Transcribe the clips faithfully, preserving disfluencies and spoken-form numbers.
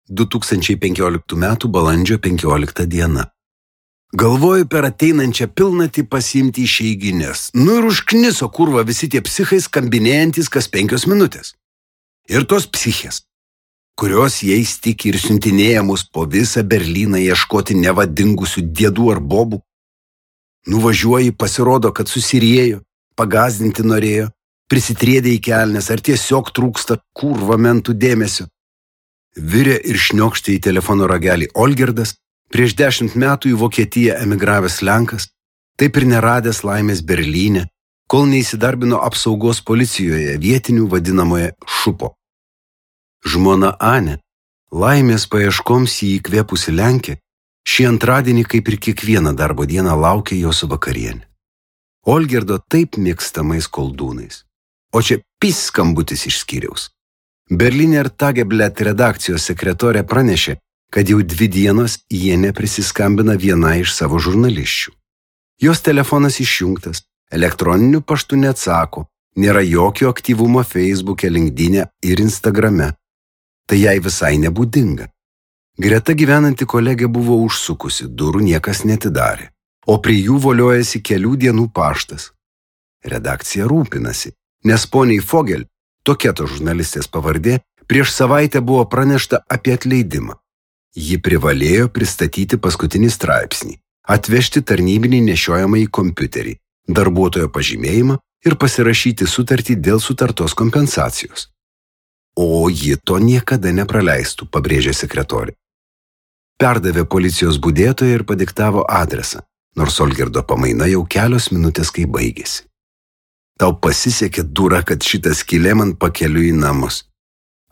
du tūkstančiai penkioliktų metų balandžio penkiolikta diena. Galvoju per ateinančią pilnatį pasiimti išeiginės. Nu ir užkniso kurva visi tie psichai skambinėjantis kas penkios minutės. Ir tos psichės, kurios jais tiki ir siuntinėja mus po visą Berlyną ieškoti nevadingusių diedų ar bobų. Nuvažiuoji, pasirodo, kad susirėjo, pagazdinti norėjo, prisitrėdė į kelnes ar tiesiog trūksta kurva mentų dėmesio. Virė ir šniokštė į telefono ragelį Olgirdas, prieš dešimt metų į Vokietiją emigravęs Lenkas, taip ir neradęs laimės Berlyne, kol neįsidarbino apsaugos policijoje vietinių vadinamoje šupo. Žmona Anė, laimės paieškoms jį įkvėpusi Lenkė, šį antradienį kaip ir kiekvieną darbo dieną laukė jos vakarienė. Olgirdo taip mėgstamais koldūnais. O čia pis skambutis iš skyriaus. Berliner Tageblatt redakcijos sekretorė pranešė, kad jau dvi dienos jie neprisiskambina viena iš savo žurnalisčių. Jos telefonas išjungtas, elektroniniu paštu neatsako, nėra jokio aktyvumo Facebook'e, LinkedIn'e ir Instagram'e. Tai jai visai nebūdinga. Greta gyvenanti kolegė buvo užsukusi, durų niekas netidarė, o prie jų voliojasi kelių dienų paštas. Redakcija rūpinasi, nes poniai Fogel, tokia to žurnalistės pavardė, prieš savaitę buvo pranešta apie atleidimą. Ji privalėjo pristatyti paskutinį straipsnį, atvežti tarnybinį nešiojamą į kompiuterį, darbuotojo pažymėjimą ir pasirašyti sutartį dėl sutartos kompensacijos. O ji to niekada nepraleistų, pabrėžė sekretorė. Perdavė policijos budėtoją ir padiktavo adresą, nors Olgirdo pamaina jau kelios minutės kai baigėsi. Tau pasisekė, dura, kad šitas skylė man pakeliu į namus.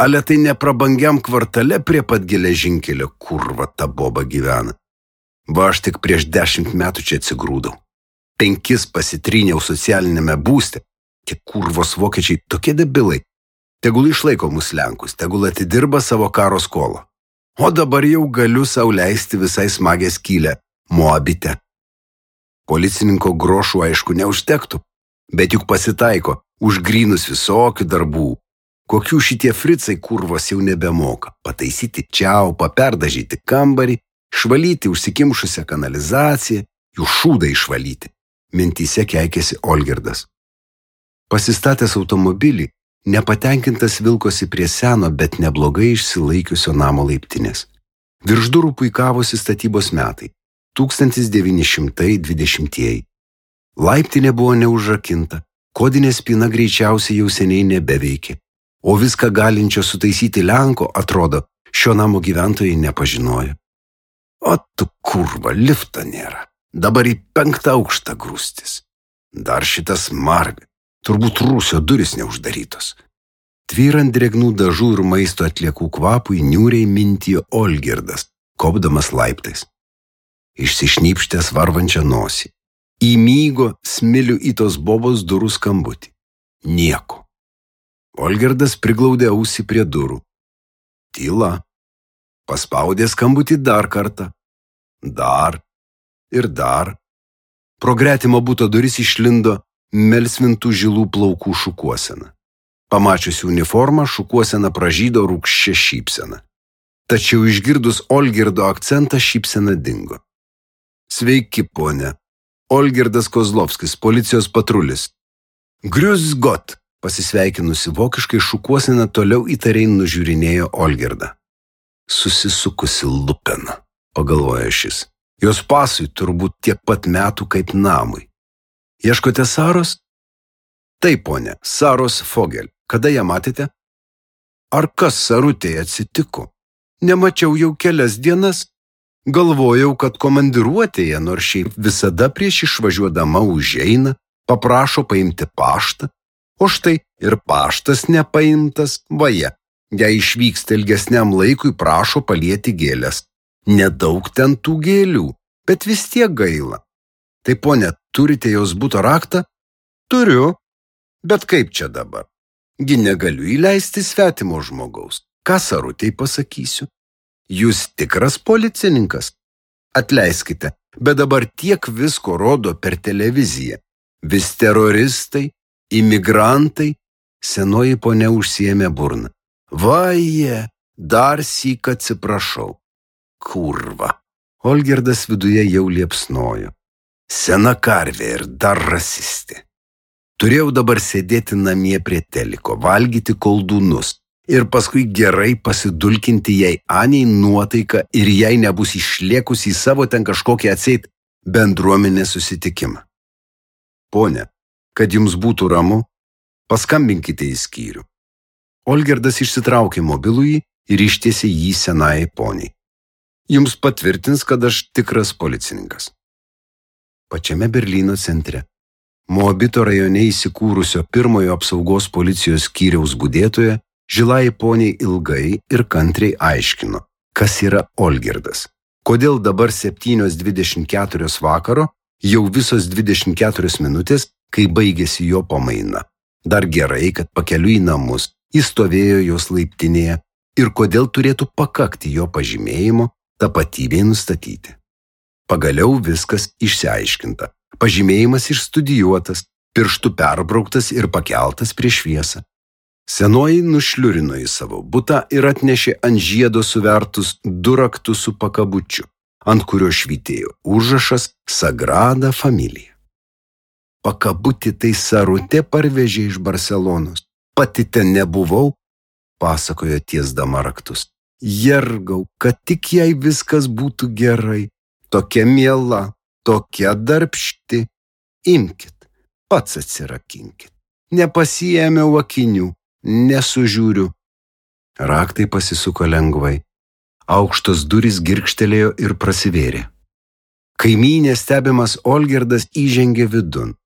Ale tai neprabangiam kvartale prie pat geležinkelio, kurva ta boba gyvena. Va aš tik prieš dešimt metų čia atsigrūdau. Penkis pasitryniau socialinėme būste. Tie kurvos vokiečiai tokie debilai. Tegul išlaiko mus Lenkus, tegul atidirba savo karo skolą. O dabar jau galiu sau leisti visai smagę skylę Moabite. Policininko grošų aišku neužtektų, bet juk pasitaiko už grynus visokių darbų. Kokių šitie fricai kurvos jau nebemoka. Pataisyti čiaupą, perdažyti kambarį, išvalyti užsikimšusią kanalizaciją, jų šūdą išvalyti. Mintyse keikėsi Olgirdas. Pasistatęs automobilį, nepatenkintas vilkosi prie seno, bet neblogai išsilaikiusio namo laiptinės. Virš durų puikavosi statybos metai – tūkstantis devyni šimtai dvidešimtieji. Laiptinė buvo neužrakinta, kodinė spyna greičiausiai jau seniai nebeveikė, o viską galinčio sutaisyti Lenko, atrodo, šio namo gyventojai nepažinojo. O tu kurva, lifto nėra. Dabar į penktą aukštą grūstis. Dar šitas marga. Turbūt rūsio duris neuždarytos. Tvyrant drėgnų dažų ir maisto atliekų kvapui niūriai mintijo Olgirdas, kopdamas laiptais. Išsišnypštęs varvančią nosį. Įmygo smilių į tos bobos durų skambutį. Nieko. Olgirdas priglaudė ausį prie durų. Tyla. Paspaudė skambutį dar kartą. Dar. Ir dar. Pro gretimo buto duris išlindo melsvintų žilų plaukų šukuosena. Pamačiusi uniformą, šukuosena pražydo rūgščia šypsena. Tačiau išgirdus Olgirdo akcentą, šypsena dingo. Sveiki, ponė. Olgirdas Kozlovskis, policijos patrulis. Grüß Gott, pasisveikinusi vokiškai šukuosena toliau įtariai nužiūrinėjo Olgirdą. Susisukusi lupena, pagalvojo šis. Jos pasui turbūt tiek pat metų kaip namui. Ieškote Saros? Taip, ponė, Saros Fogel. Kada ją matėte? Ar kas Sarutėje atsitiko? Nemačiau jau kelias dienas. Galvojau, kad komandiruotėje, nors šiaip visada prieš išvažiuodama užeina, paprašo paimti paštą, o štai ir paštas nepaimtas, vaje. Jei išvyksta ilgesniam laikui, prašo palieti gėlės. Nedaug ten tų gėlių, bet vis tiek gaila. Tai, ponė, turite jos buto raktą? Turiu. Bet kaip čia dabar? Gi negaliu įleisti svetimo žmogaus. Ką Sarutei pasakysiu? Jūs tikras policininkas? Atleiskite, bet dabar tiek visko rodo per televiziją. Vis teroristai, imigrantai. Senoji ponė užsiėmė burną. Vaje, Dar syk atsiprašau. Kurva. Olgirdas viduje jau liepsnojo. Sena karvė ir dar rasistė. Turėjau dabar sėdėti namie prie teliko, valgyti koldūnus ir paskui gerai pasidulkinti jai Aniai nuotaiką ir jai nebus išliekus į savo ten kažkokį atseit bendruomenės susitikimą. Pone, kad jums būtų ramu, paskambinkite į skyrių. Olgirdas išsitraukė mobilųjį ir ištiesė jį senai poniai. Jums patvirtins, kad aš tikras policininkas. Pačiame Berlyno centre, Moabito rajone įsikūrusio pirmojo apsaugos policijos skyriaus budėtoja, žilai poniai ilgai ir kantriai aiškino, kas yra Olgirdas. Kodėl dabar septynios dvidešimt keturios vakaro, jau visos dvidešimt keturios minutės, kai baigėsi jo pamaina. Dar gerai, kad pakeliui į namus jis stovėjo jos laiptinėje ir kodėl turėtų pakakti jo pažymėjimo tapatybei nustatyti. Pagaliau viskas išsiaiškinta. Pažymėjimas išstudijuotas, pirštų perbrauktas ir pakeltas prieš šviesą. Senoji nušliurino į savo butą ir atnešė ant žiedo suvertus du raktus su pakabučiu, ant kurio švytėjo užrašas Sagrada Familija. Pakabutį tai Sarutė parvežė iš Barselonos. Pati ten nebuvau, pasakojo tiesdama raktus. Jergau, kad tik jai viskas būtų gerai. Tokia miela, tokia darbšti. Imkit, pats atsirakinkit. Nepasiėmiau akinių, nesužiūriu. Raktai pasisuko lengvai. Aukštos durys girgžtelėjo ir prasivėrė. Kaimynės stebimas Olgirdas įžengė vidun.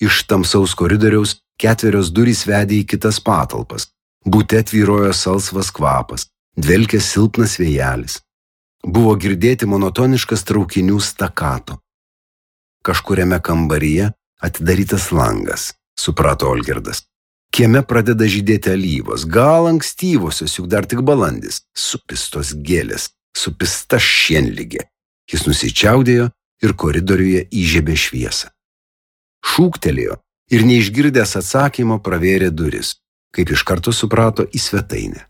Iš tamsaus koridoriaus ketverios durys vedė į kitas patalpas. Bute tvyrojo salsvas kvapas, dvelkė silpnas vėjelis. Buvo girdėti monotoniškas traukinių stakato. Kažkuriame kambaryje atidarytas langas, suprato Olgirdas. Kieme pradeda žydėti alyvos, gal ankstyvosios, juk dar tik balandis. Supistos gėlės, supista šienligė. Jis nusičiaudėjo ir koridoriuje įžiebė šviesą. Šūktelėjo ir neišgirdęs atsakymo pravėrė duris, kaip iš karto suprato į svetainę.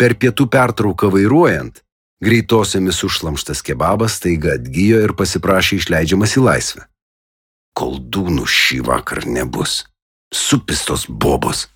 Per pietų pertrauką vairuojant, greitosiomis užšlamštas kebabas staiga atgijo ir pasiprašė išleidžiamas į laisvę. Koldūnų šį vakar nebus. Supistos bobos.